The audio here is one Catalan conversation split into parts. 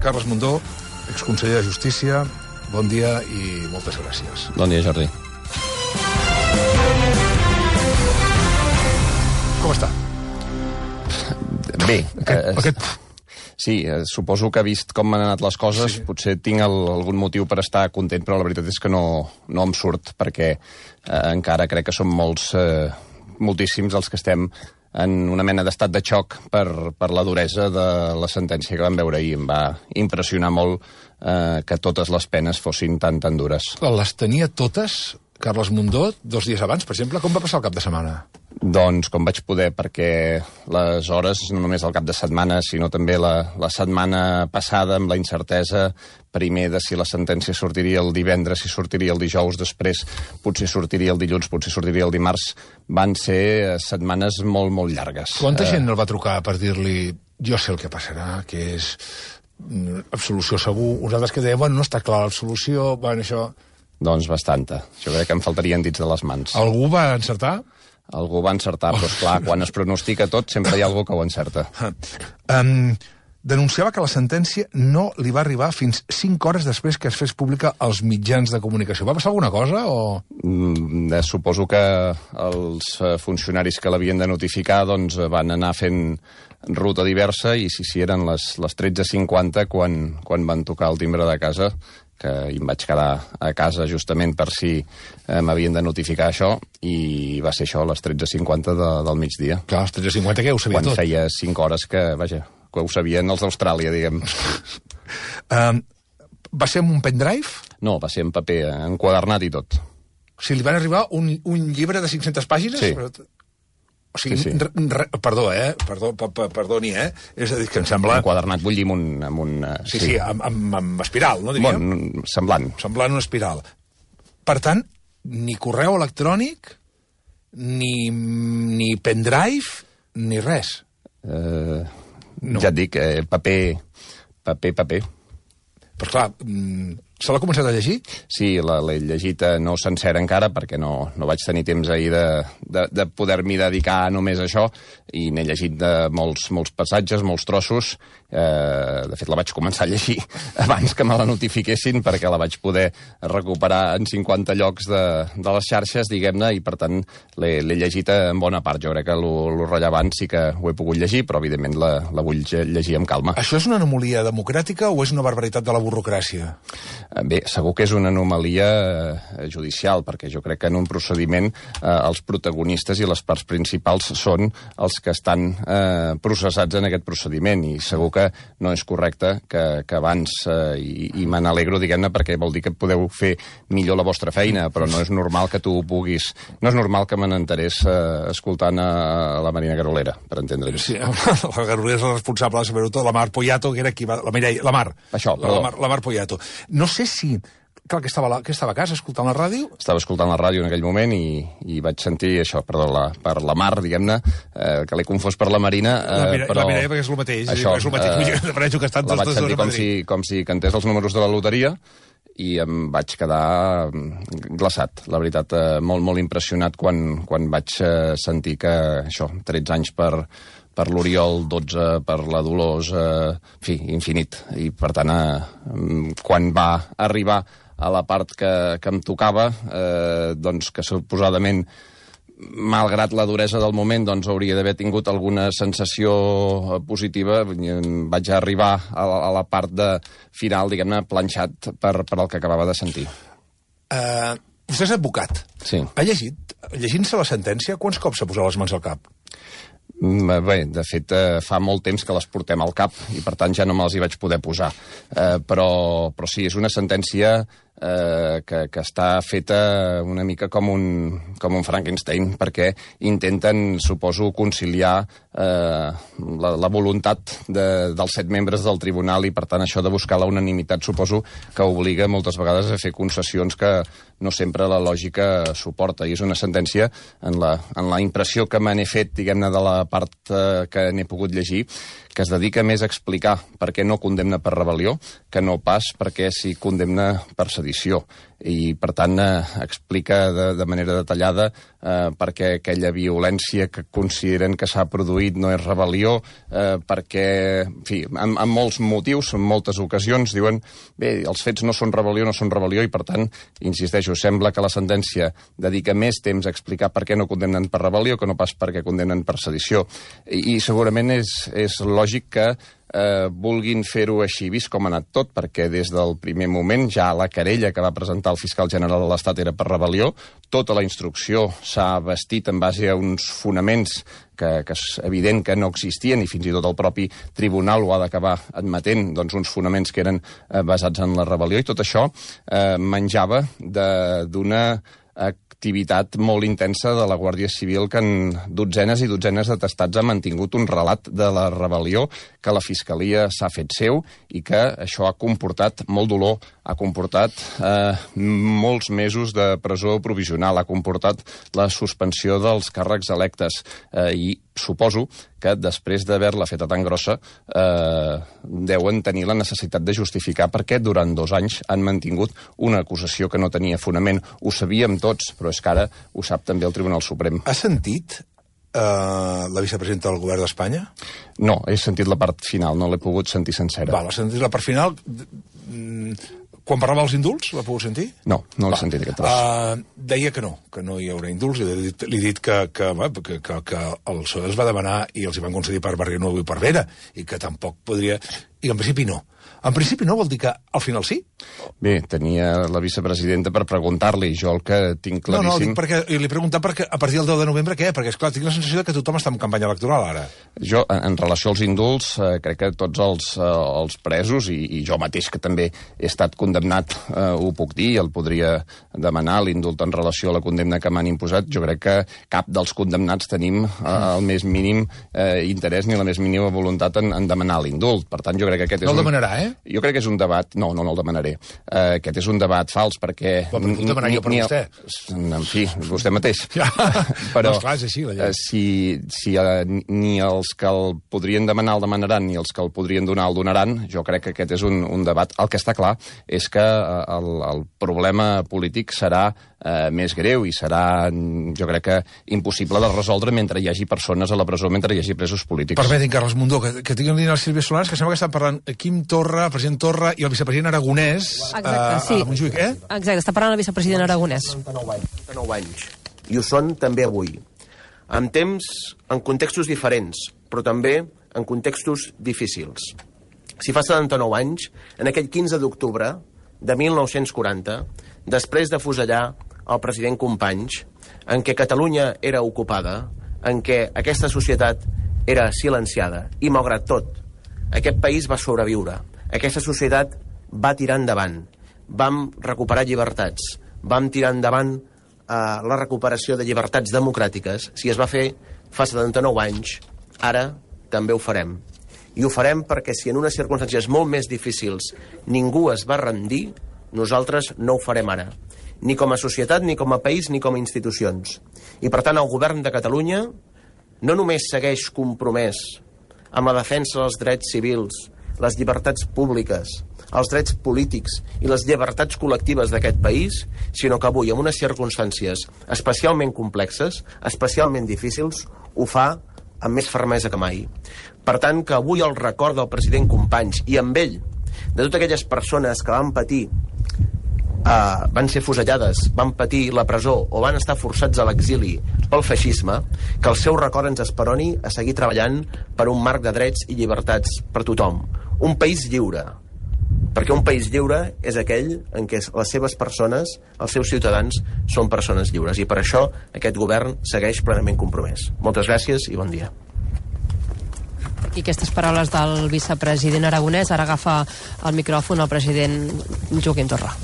Carles Mundó, exconseller de Justícia. Bon dia i moltes gràcies. Bon dia, Jordi. Com està? Bé. Sí, suposo que vist com han anat les coses, potser tinc algun motiu per estar content, però la veritat és que no em surt, perquè encara crec que som moltíssims els que estem en una mena d'estat de xoc per la duresa de la sentència que vam veure ahir. Em va impressionar molt que totes les penes fossin tan dures. Les tenia totes, Carles Mundó, 2 dies abans, per exemple? Com va passar el cap de setmana? Doncs com vaig poder, perquè les hores, no només el cap de setmana, sinó també la setmana passada, amb la incertesa, primer de si la sentència sortiria el divendres, si sortiria el dijous, després potser sortiria el dilluns, potser sortiria el dimarts, van ser setmanes molt, molt llargues. Quanta gent el va trucar per dir-li jo sé el que passarà, que és absolució segur? Uns altres que deien, bueno, no està clar l'absolució, bueno, això... Doncs bastanta. Jo crec que em faltarien dits de les mans. Algú va encertar? Algú va encertar, però esclar, quan es pronostica tot sempre hi ha algú que ho encerta. Denunciava que la sentència no li va arribar fins 5 hores després que es fes pública als mitjans de comunicació. Va passar alguna cosa o...? Suposo que els funcionaris que l'havien de notificar doncs, van anar fent ruta diversa i si eren les 13:50 quan van tocar el timbre de casa, que em vaig quedar a casa justament per si m'havien de notificar això, i va ser això, a les 13:50 del migdia. Clar, a les 13:50 que ho sabia tot. Quan feia 5 hores que ho sabien els d'Austràlia, diguem. Va ser amb un pendrive? No, va ser en paper, enquadernat i tot. O sigui, li van arribar un llibre de 500 pàgines? Sí. O sigui, sí. Perdoni, És a dir, que em sembla... Enquadernat, vull dir, amb un... Sí, amb espiral, no, diríem? Bon, semblant. Semblant una espiral. Per tant, ni correu electrònic, ni pendrive, ni res. No. Ja et dic, paper. Però clar, se l'ha començat a llegir? Sí, l'he llegit no sencera encara, perquè no vaig tenir temps ahir de poder-m'hi dedicar només a això, i n'he llegit de molts passatges, molts trossos. De fet, la vaig començar a llegir abans que me la notifiquessin, perquè la vaig poder recuperar en 50 llocs de les xarxes, diguem-ne, i per tant l'he llegit en bona part. Jo crec que lo rellevant sí que ho he pogut llegir, però evidentment la vull llegir amb calma. Això és una anomalia democràtica o és una barbaritat de la burocràcia? Bé, segur que és una anomalia judicial, perquè jo crec que en un procediment els protagonistes i les parts principals són els que estan processats en aquest procediment, i segur que no és correcte que abans, i me n'alegro, diguem-ne, perquè vol dir que podeu fer millor la vostra feina, però no és normal que tu puguis... No és normal que me n'enterés escoltant a la Marina Garolera, per entendre'ns. Sí, la Garolera és la responsable de saber-ho tot, la Mar Poyato, que era qui va... La Mar. Això, perdó. La Mar Poyato. No sé si... Clar, que estava a casa escoltant la ràdio? Estava escoltant la ràdio en aquell moment i vaig sentir això, per la Mar, diguem-ne, que l'he confós per la Marina. La Mireia, perquè és el mateix. Això, que estan la vaig sentir com si cantés els números de la loteria, i em vaig quedar glaçat, la veritat, molt impressionat quan vaig sentir que, això, 13 anys per l'Oriol, 12 per la Dolors, en fi, infinit. I, per tant, quan va arribar a la part que em tocava, doncs que suposadament, malgrat la duresa del moment, doncs hauria d'haver tingut alguna sensació positiva, vaig arribar a la part final, diguem-ne, planxat per el que acabava de sentir. Vostè és advocat. Sí. Ha llegit, llegint-se la sentència, quants cops s'ha posat les mans al cap? Bé, de fet, fa molt temps que les portem al cap i, per tant, ja no me'ls hi vaig poder posar. Però sí, és una sentència que està feta una mica com un Frankenstein, perquè intenten, suposo, conciliar la voluntat dels 7 membres del tribunal, i, per tant, això de buscar la unanimitat, suposo, que obliga moltes vegades a fer concessions que no sempre la lògica suporta. I és una sentència, en la impressió que me n'he fet, diguem-ne, de la part que n'he pogut llegir, que es dedica més a explicar per què no condemna per rebel·lió que no pas per què s'hi condemna per sedició. I, per tant, explica de manera detallada per què aquella violència que consideren que s'ha produït no és rebel·lió, perquè, en fi, amb molts motius, en moltes ocasions, diuen, bé, els fets no són rebel·lió, i, per tant, insisteixo, sembla que la sentència dedica més temps a explicar per què no condemnen per rebel·lió que no pas per què condemnen per sedició. I segurament és lògic que vulguin fer-ho així, vist com ha anat tot, perquè des del primer moment ja la querella que va presentar el fiscal general de l'Estat era per rebel·lió, tota la instrucció s'ha bastit en base a uns fonaments que és evident que no existien, i fins i tot el propi tribunal ho ha d'acabar admetent, doncs uns fonaments que eren basats en la rebel·lió, i tot això menjava d'una activitat molt intensa de la Guàrdia Civil que en dotzenes i dotzenes d'atestats ha mantingut un relat de la rebel·lió que la Fiscalia s'ha fet seu i que això ha comportat molt dolor, ha comportat molts mesos de presó provisional, ha comportat la suspensió dels càrrecs electes i suposo que després d'haver-la feta tan grossa deuen tenir la necessitat de justificar per què durant 2 anys han mantingut una acusació que no tenia fonament. Ho sabíem tots, però és que ara ho sap també el Tribunal Suprem. Has sentit la vicepresidenta del govern d'Espanya? No, he sentit la part final, no l'he pogut sentir sencera. Val, has sentit la part final? Quan parlava dels indults, l'ha pogut sentir? No, no l'he sentit aquest tros. Deia que no hi haurà indults. Li he dit que el PSOE els va demanar i els hi van concedir per Barrionuevo i per Vera, i que tampoc podria... I en principi no. En principi no vol dir que al final sí? Bé, tenia la vicepresidenta per preguntar-li, jo el que tinc claríssim... No, dic perquè li he preguntat perquè a partir del 10 de novembre què? Perquè, esclar, tinc la sensació que tothom està en campanya electoral ara. Jo, en relació als indults, crec que tots els presos, i jo mateix que també he estat condemnat, ho puc dir, el podria demanar, l'indult en relació a la condemna que m'han imposat, jo crec que cap dels condemnats tenim el més mínim interès ni la més mínima voluntat en demanar l'indult. Per tant, jo crec que aquest és no el demanarà, Jo crec que és un debat... No el demanaré. Aquest és un debat fals, perquè... Però el demanarà jo per vostè. En fi, vostè mateix. Ja. Però no, esclar, és així, la llei. Si ni els que el podrien demanar el demanaran, ni els que el podrien donar el donaran, jo crec que aquest és un debat. El que està clar és que el problema polític serà més greu i serà, jo crec que, impossible de resoldre mentre hi hagi persones a la presó, mentre hi hagi presos polítics. Permetin, Carles Mundó, que tinguin línia el Sílvia Solans, que sembla que estan parlant Quim Torra, el president Torra i el vicepresident Aragonès. Exacte, sí. A Montjuïc, Exacte, està parlant el vicepresident Aragonès. 99 anys. I ho són també avui. En temps, en contextos diferents, però també en contextos difícils. Si fa 79 anys, en aquell 15 d'octubre de 1940, després d'afusellar el president Companys, en què Catalunya era ocupada, en què aquesta societat era silenciada, i malgrat tot, aquest país va sobreviure. Aquesta societat va tirar endavant. Vam recuperar llibertats. Vam tirar endavant la recuperació de llibertats democràtiques. Si es va fer fa 79 anys, ara també ho farem. I ho farem perquè si en unes circumstàncies molt més difícils ningú es va rendir, nosaltres no ho farem ara. Ni com a societat, ni com a país, ni com a institucions. I per tant el govern de Catalunya no només segueix compromès amb la defensa dels drets civils, les llibertats públiques, els drets polítics i les llibertats col·lectives d'aquest país, sinó que avui, en unes circumstàncies especialment complexes, especialment difícils, ho fa amb més fermesa que mai. Per tant, que avui el record del president Companys i amb ell, de totes aquelles persones que van patir, van ser fusellades, van patir la presó o van estar forçats a l'exili pel feixisme, que el seu record ens esperoni a seguir treballant per un marc de drets i llibertats per tothom. Un país lliure, perquè un país lliure és aquell en què les seves persones, els seus ciutadans, són persones lliures. I per això aquest govern segueix plenament compromès. Moltes gràcies i bon dia. Aquí aquestes paraules del vicepresident Aragonès. Ara agafa el micròfon el president Joaquim Torra.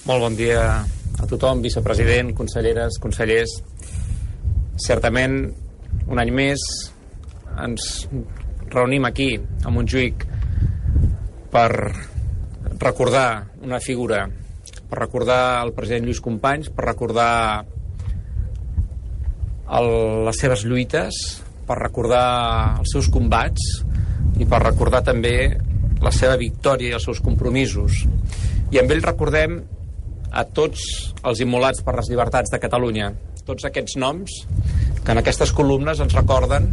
Molt bon dia a tothom, vicepresident, conselleres, consellers. Certament, un any més ens reunim aquí, a Montjuïc, per recordar una figura, per recordar el president Lluís Companys, per recordar les seves lluites, per recordar els seus combats, i per recordar també la seva victòria i els seus compromisos. I amb ell recordem a tots els immolats per les llibertats de Catalunya, tots aquests noms que en aquestes columnes ens recorden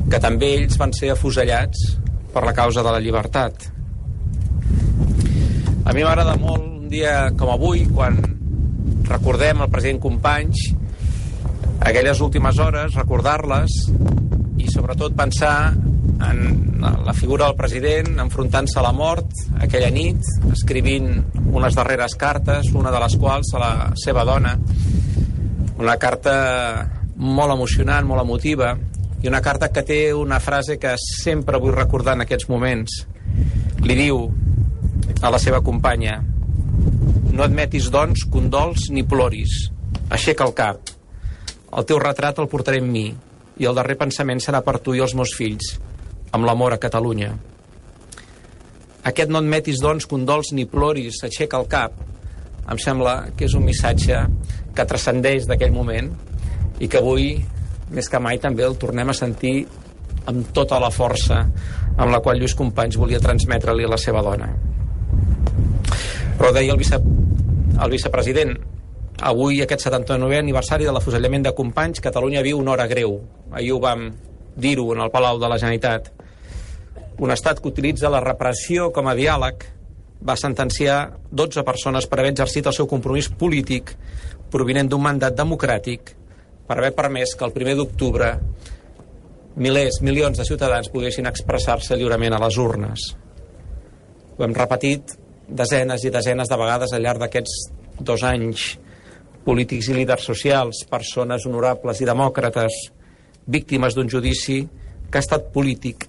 que també ells van ser afusellats per la causa de la llibertat. A mi m'agrada molt un dia com avui, quan recordem el president Companys, aquelles últimes hores, recordar-les i sobretot pensar en la figura del president enfrontant-se a la mort aquella nit, escrivint unes darreres cartes, una de les quals a la seva dona, una carta molt emocionant, molt emotiva, i una carta que té una frase que sempre vull recordar en aquests moments. Li diu a la seva companya: no admetis, doncs, condols ni ploris, aixeca el cap, el teu retrat el portaré amb mi i el darrer pensament serà per tu i els meus fills, amb l'amor a Catalunya. Aquest no admetis, doncs, condols ni ploris, aixeca el cap, em sembla que és un missatge que transcendeix d'aquell moment i que avui, més que mai, també el tornem a sentir amb tota la força amb la qual Lluís Companys volia transmetre-li a la seva dona. Però deia el vicepresident, avui, aquest 79è aniversari de l'afusellament de Companys, Catalunya viu una hora greu. Ahir ho vam dir-ho en el Palau de la Generalitat. Un estat que utilitza la repressió com a diàleg va sentenciar 12 persones per haver exercit el seu compromís polític provinent d'un mandat democràtic per haver permès que el 1 d'octubre milers, milions de ciutadans poguessin expressar-se lliurement a les urnes. Ho hem repetit desenes i desenes de vegades al llarg d'aquests 2 anys. Polítics i líders socials, persones honorables i demòcrates, víctimes d'un judici que ha estat polític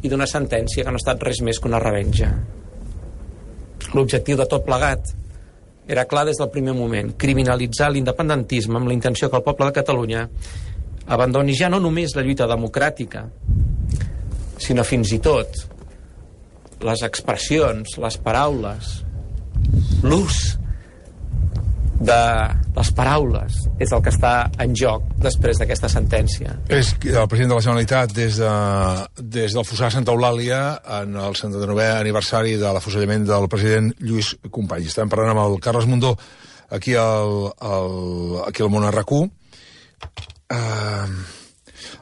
i d'una sentència que no ha estat res més que una revenja. L'objectiu de tot plegat era clar des del primer moment: criminalitzar l'independentisme amb la intenció que el poble de Catalunya abandoni ja no només la lluita democràtica, sinó fins i tot les expressions, les paraules, l'ús de les paraules és el que està en joc després d'aquesta sentència. És el president de la Generalitat des del Fossar Santa Eulàlia en el 79è aniversari de l'afusellament del president Lluís Companys. Estem parlant amb el Carles Mundó aquí al Món RQ.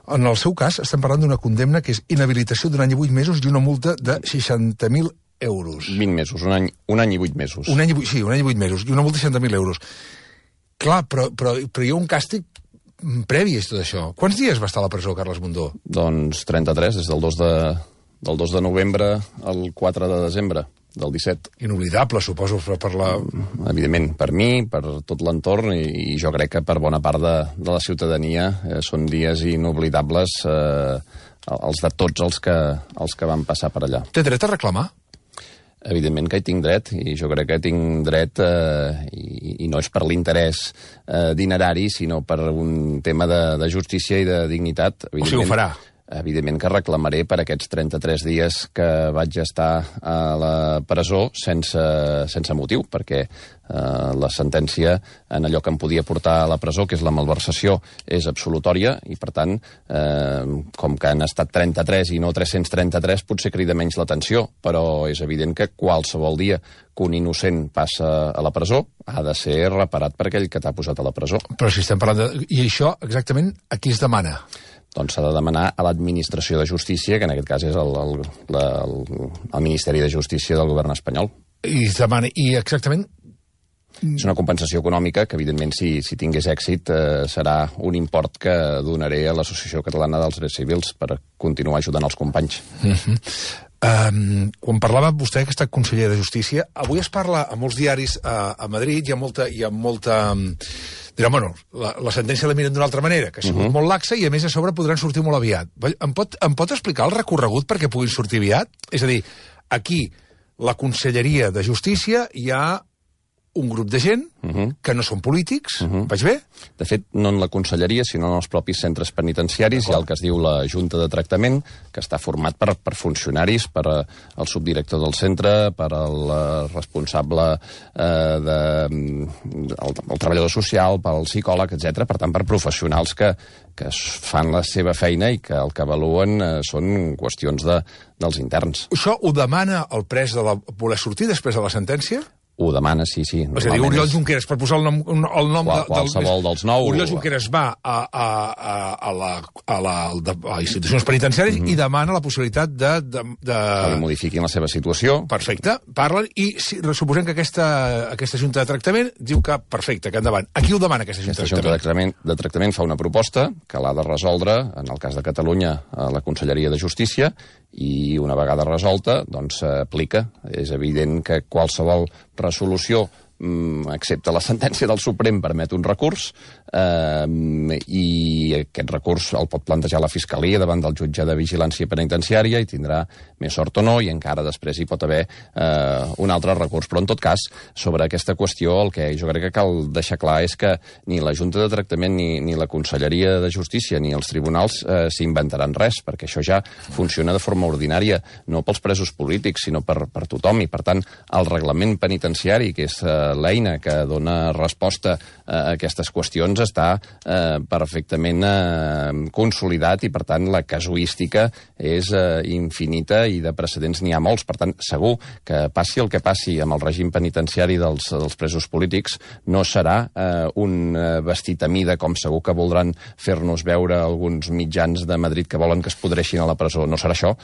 En el seu cas estem parlant d'una condemna que és inhabilitació d'un any i 8 mesos i una multa de 60.000 euros. 20 mesos, un any i 8 mesos. Un any i 8 mesos, i una multa de 60.000 euros. Clar, però hi ha un càstig previ a tot això. Quants dies va estar a la presó, Carles Mundó? Doncs 33, des del 2 de novembre al 4 de desembre del 17. Inoblidable, suposo, per la... Evidentment, per mi, per tot l'entorn, i jo crec que per bona part de la ciutadania són dies inoblidables, els de tots els que van passar per allà. Té dret a reclamar? Evidentment que hi tinc dret, i jo crec que tinc dret, i no és per l'interès dinerari, sinó per un tema de justícia i de dignitat. O sigui, ho farà? Evidentment que reclamaré per aquests 33 dies que vaig estar a la presó sense motiu, perquè la sentència en allò que em podia portar a la presó, que és la malversació, és absolutòria, i per tant, com que han estat 33 i no 333, potser crida menys l'atenció, però és evident que qualsevol dia que un innocent passa a la presó ha de ser reparat per aquell que t'ha posat a la presó. Però si estem parlant de... I això, exactament, a qui es demana? Doncs s'ha de demanar a l'Administració de Justícia, que en aquest cas és el Ministeri de Justícia del govern espanyol. I es demana... I exactament... És una compensació econòmica que, evidentment, si tingués èxit, serà un import que donaré a l'Associació Catalana dels Drets Civils per continuar ajudant els companys. Quan parlava vostè que ha estat conseller de Justícia, avui es parla a molts diaris a Madrid, hi ha molta diran, bueno, la sentència la miren d'una altra manera, que ha sigut molt laxa i a més a sobre podran sortir molt aviat. Em pot explicar el recorregut perquè puguin sortir aviat? És a dir, aquí la Conselleria de Justícia hi ha un grup de gent que no són polítics, vaig bé? De fet, no en la conselleria, sinó en els propis centres penitenciaris. Hi ha el que es diu la Junta de Tractament, que està format per funcionaris, per el subdirector del centre, per el responsable el treballador social, pel psicòleg, etc. Per tant, per professionals que fan la seva feina i que el que avaluen són qüestions dels interns. Això ho demana el pres de voler sortir després de la sentència? Ho demana, sí. És a dir, Oriol Junqueras, per posar el nom qualsevol dels nou. Oriol Junqueras va a les institucions penitenciàries i demana la possibilitat de... Que li modifiquin la seva situació. Perfecte, parlen i suposem que aquesta Junta de Tractament diu que perfecte, que endavant. A qui ho demana aquesta Junta de Tractament? De Tractament fa una proposta que l'ha de resoldre, en el cas de Catalunya, a la Conselleria de Justícia, i una vegada resolta, doncs s'aplica. És evident que qualsevol resolució, excepte la sentència del Suprem, permet un recurs, i aquest recurs el pot plantejar la Fiscalia davant del jutge de vigilància penitenciària i tindrà més sort o no, i encara després hi pot haver un altre recurs. Però en tot cas, sobre aquesta qüestió, el que jo crec que cal deixar clar és que ni la Junta de Tractament ni la Conselleria de Justícia ni els tribunals s'inventaran res, perquè això ja funciona de forma ordinària, no pels presos polítics, sinó per tothom, i per tant el reglament penitenciari, que és l'eina que dona resposta a aquestes qüestions, està perfectament consolidat, i per tant la casuística és infinita i de precedents n'hi ha molts. Per tant, segur que passi el que passi amb el règim penitenciari dels presos polítics, no serà un vestit a mida, com segur que voldran fer-nos veure alguns mitjans de Madrid que volen que es podreixin a la presó. No serà això,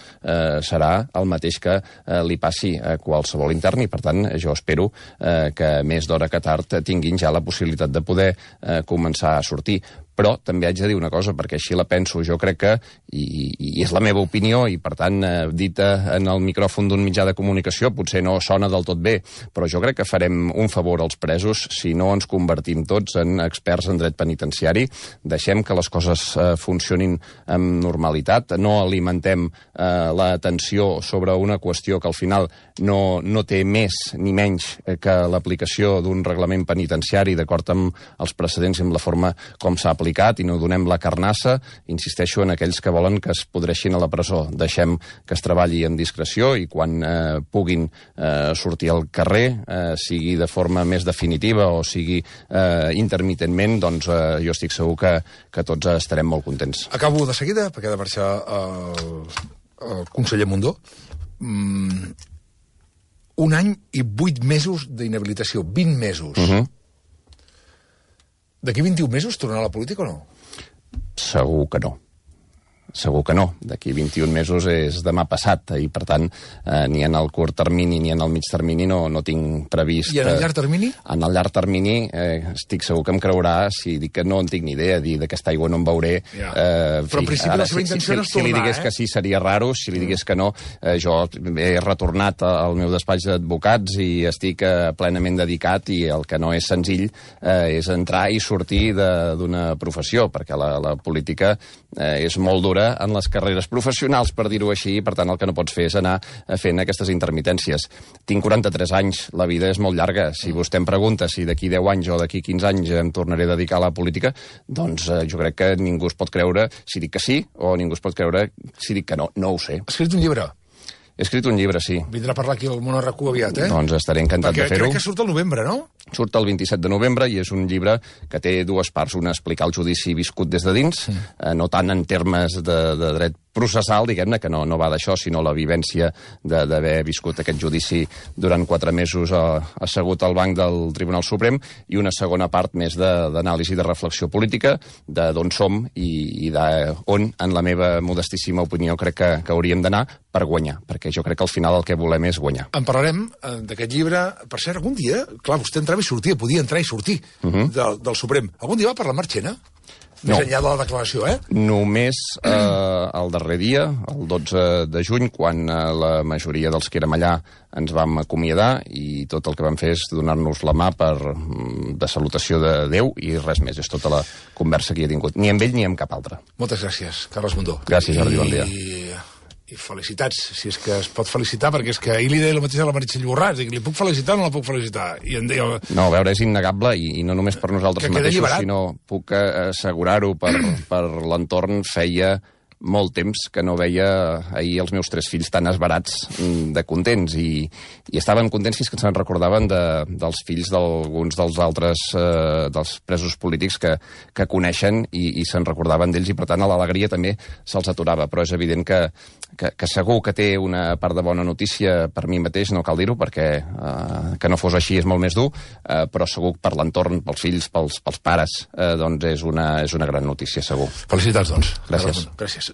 serà el mateix que li passi a qualsevol intern, i per tant jo espero que més d'hora que tard tinguin ja la possibilitat de poder començar a sortir. Però també haig de dir una cosa, perquè així la penso. Jo crec que, i és la meva opinió, i per tant, dita en el micròfon d'un mitjà de comunicació, potser no sona del tot bé, però jo crec que farem un favor als presos si no ens convertim tots en experts en dret penitenciari. Deixem que les coses funcionin amb normalitat, no alimentem la tensió sobre una qüestió que al final no té més ni menys que l'aplicació d'un reglament penitenciari d'acord amb els precedents i amb la forma com s'ha aplicat, i no donem la carnassa, insisteixo, en aquells que volen que es podreixin a la presó. Deixem que es treballi amb discreció, i quan puguin sortir al carrer, sigui de forma més definitiva o sigui intermitentment, doncs jo estic segur que tots estarem molt contents. Acabo de seguida, perquè ha de marxar el conseller Mundó. 1 any i 8 mesos d'inhabilitació, 20 mesos. D'aquí 21 mesos tornarà a la política o no? Segur que no. Segur que no. D'aquí 21 mesos és demà passat, i per tant ni en el curt termini ni en el mig termini no tinc previst... I en el llarg termini? En el llarg termini estic segur que em creurà si dic que no en tinc ni idea, dir d'aquesta aigua no en veuré. Però en principi la seva intenció no és tornar, Si li digués que sí seria raro, si li digués que no, jo he retornat al meu despatx d'advocats i estic plenament dedicat, i el que no és senzill és entrar i sortir d'una professió, perquè la política és molt dura en les carreres professionals, per dir-ho així, i per tant el que no pots fer és anar fent aquestes intermitències. Tinc 43 anys, la vida és molt llarga. Si vostè em pregunta si d'aquí 10 anys o d'aquí 15 anys em tornaré a dedicar a la política, doncs jo crec que ningú es pot creure si dic que sí, o ningú es pot creure si dic que no. No ho sé. Has escrit un llibre? He escrit un llibre, sí. Vindrà a parlar aquí al Món RQ aviat, Doncs estaré encantat de fer-ho. Perquè crec que surt al novembre, no? Surt el 27 de novembre, i és un llibre que té 2 parts. Una, explicar el judici viscut des de dins, no tant en termes de dret processal, diguem-ne, que no va d'això, sinó la vivència d'haver viscut aquest judici durant 4 mesos assegut al banc del Tribunal Suprem, i una segona part més d'anàlisi de reflexió política, d'on som i d'on, en la meva modestíssima opinió, crec que hauríem d'anar per guanyar, perquè jo crec que al final el que volem és guanyar. En parlarem d'aquest llibre. Per cert, algun dia, clar, vostè entrava i sortia, podia entrar i sortir del Suprem. Algun dia va parlar amb Marchena? Més enllà de la declaració, Només el darrer dia, el 12 de juny, quan la majoria dels que érem allà ens vam acomiadar, i tot el que vam fer és donar-nos la mà de salutació de Déu, i res més. És tota la conversa que hi he tingut. Ni amb ell ni amb cap altre. Moltes gràcies, Carles Mundó. Gràcies, Jordi, bon dia. I felicitats, si és que es pot felicitar, perquè és que ahir li deia el mateix a la Meritxell Borràs, li puc felicitar o no la puc felicitar? I em deia... No, a veure, és innegable, i no només per nosaltres mateixos, sinó puc assegurar-ho per l'entorn. Feia molt temps que no veia ahir els meus 3 fills tan esbarats de contents, i estaven contents fins que se'n recordaven dels fills d'alguns dels altres dels presos polítics que coneixen, i se'n recordaven d'ells, i per tant l'alegria també se'ls aturava. Però és evident que segur que té una part de bona notícia. Per mi mateix no cal dir-ho, perquè que no fos així és molt més dur, però segur per l'entorn, pels fills, pels pares, doncs és una gran notícia, segur. Felicitats, doncs. Gràcies. Gràcies.